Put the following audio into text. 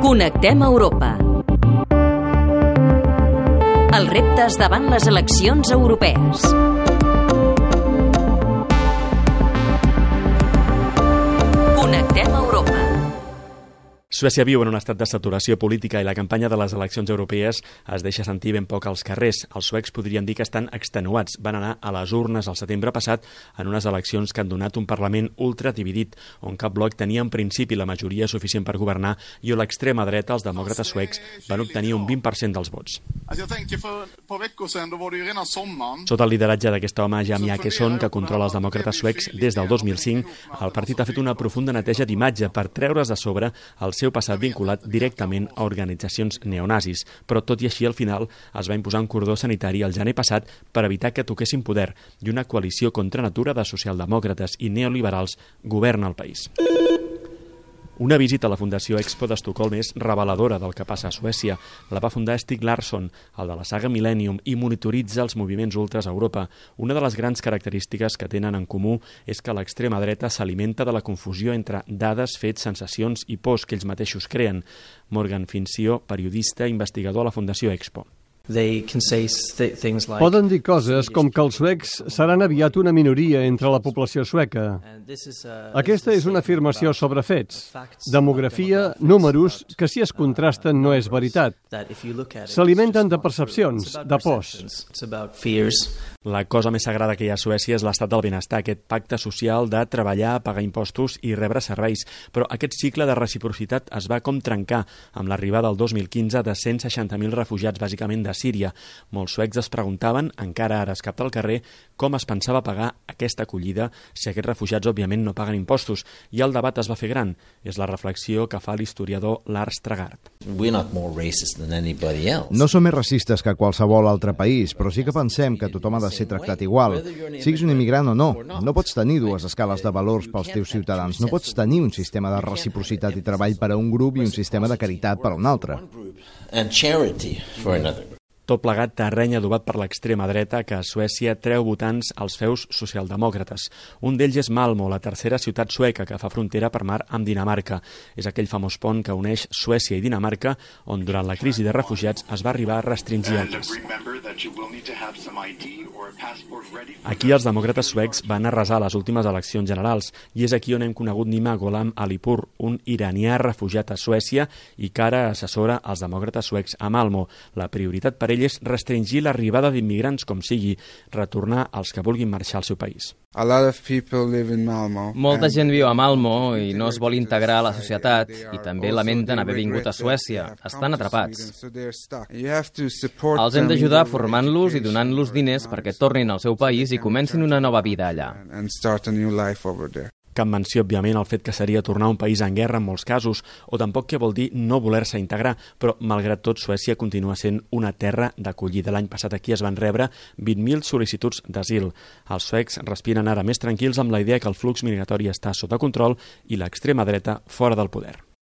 Connectem Europa. Els reptes davant les eleccions europees. Connectem Europa. Suècia viu en un estat de saturació política i la campanya de les eleccions europees es deixa sentir ben poc als carrers. Els suecs podrien dir que estan extenuats. Van anar a les urnes al setembre passat en unes eleccions que han donat un Parlament ultra dividit, on cap bloc tenia en principi la majoria suficient per governar i on l'extrema dreta, els demòcrates suecs, van obtenir un 20% dels vots. Sota el lideratge d'aquest home, Jan Åkesson, que controla els demòcrates suecs des del 2005, el partit ha fet una profunda neteja d'imatge per treure's de sobre el seu passat vinculat directament a organitzacions neonazis, però tot i així al final es va imposar un cordó sanitari el gener passat per evitar que toquessin poder i una coalició contra natura de socialdemòcrates i neoliberals governa el país. Una visita a la Fundació Expo d'Estocolm és reveladora del que passa a Suècia. La va fundar Stieg Larsson, el de la saga Millennium, i monitoritza els moviments ultras a Europa. Una de les grans característiques que tenen en comú és que l'extrema dreta s'alimenta de la confusió entre dades, fets, sensacions i pors que ells mateixos creen. Morgan Fincio, periodista i investigador a la Fundació Expo. Poden dir coses com que els suecs seran aviat una minoria entre la població sueca. Aquesta és una afirmació sobre fets, demografia, números, que si es contrasten no és veritat. S'alimenten de percepcions, de pors. La cosa més sagrada que hi ha a Suècia és l'estat del benestar, aquest pacte social de treballar, pagar impostos i rebre serveis. Però aquest cicle de reciprocitat es va com trencar amb l'arribada el 2015 de 160.000 refugiats, bàsicament de Síria. Molts suecs es preguntaven, encara ara es capta al carrer, com es pensava pagar aquesta acollida si aquests refugiats òbviament no paguen impostos. I el debat es va fer gran. És la reflexió que fa l'historiador Lars Tragard. No som més racistes que qualsevol altre país, però sí que pensem que tothom ha de ser tractat igual. Siguis un immigrant o no, no pots tenir dues escales de valors pels teus ciutadans. No pots tenir un sistema de reciprocitat i treball per a un grup i un sistema de caritat per a un altre. Tot plegat terreny adobat per l'extrema dreta que a Suècia treu votants als feus socialdemòcrates. Un d'ells és Malmö, la tercera ciutat sueca que fa frontera per mar amb Dinamarca. És aquell famós pont que uneix Suècia i Dinamarca, on durant la crisi de refugiats es va arribar a restringir el pas. Aquí els demòcrates suecs van arrasar les últimes eleccions generals i és aquí on hem conegut Nima Gholam Alipur, un iranià refugiat a Suècia i que ara assessora els demòcrates suecs a Malmö. La prioritat per ell és restringir l'arribada d'immigrants com sigui, retornar als que vulguin marxar al seu país. Molta gent viu a Malmö i no es vol integrar a la societat i també lamenten haver vingut a Suècia. Estan atrapats. Els hem d'ajudar formant-los i donant-los diners perquè tornin al seu país i comencin una nova vida allà. Cap menció, òbviament, el fet que seria tornar a un país en guerra en molts casos, o tampoc què vol dir no voler-se integrar, però, malgrat tot, Suècia continua sent una terra d'acollida. L'any passat aquí es van rebre 20.000 sol·licituds d'asil. Els suecs respiren ara més tranquils amb la idea que el flux migratori està sota control i l'extrema dreta fora del poder.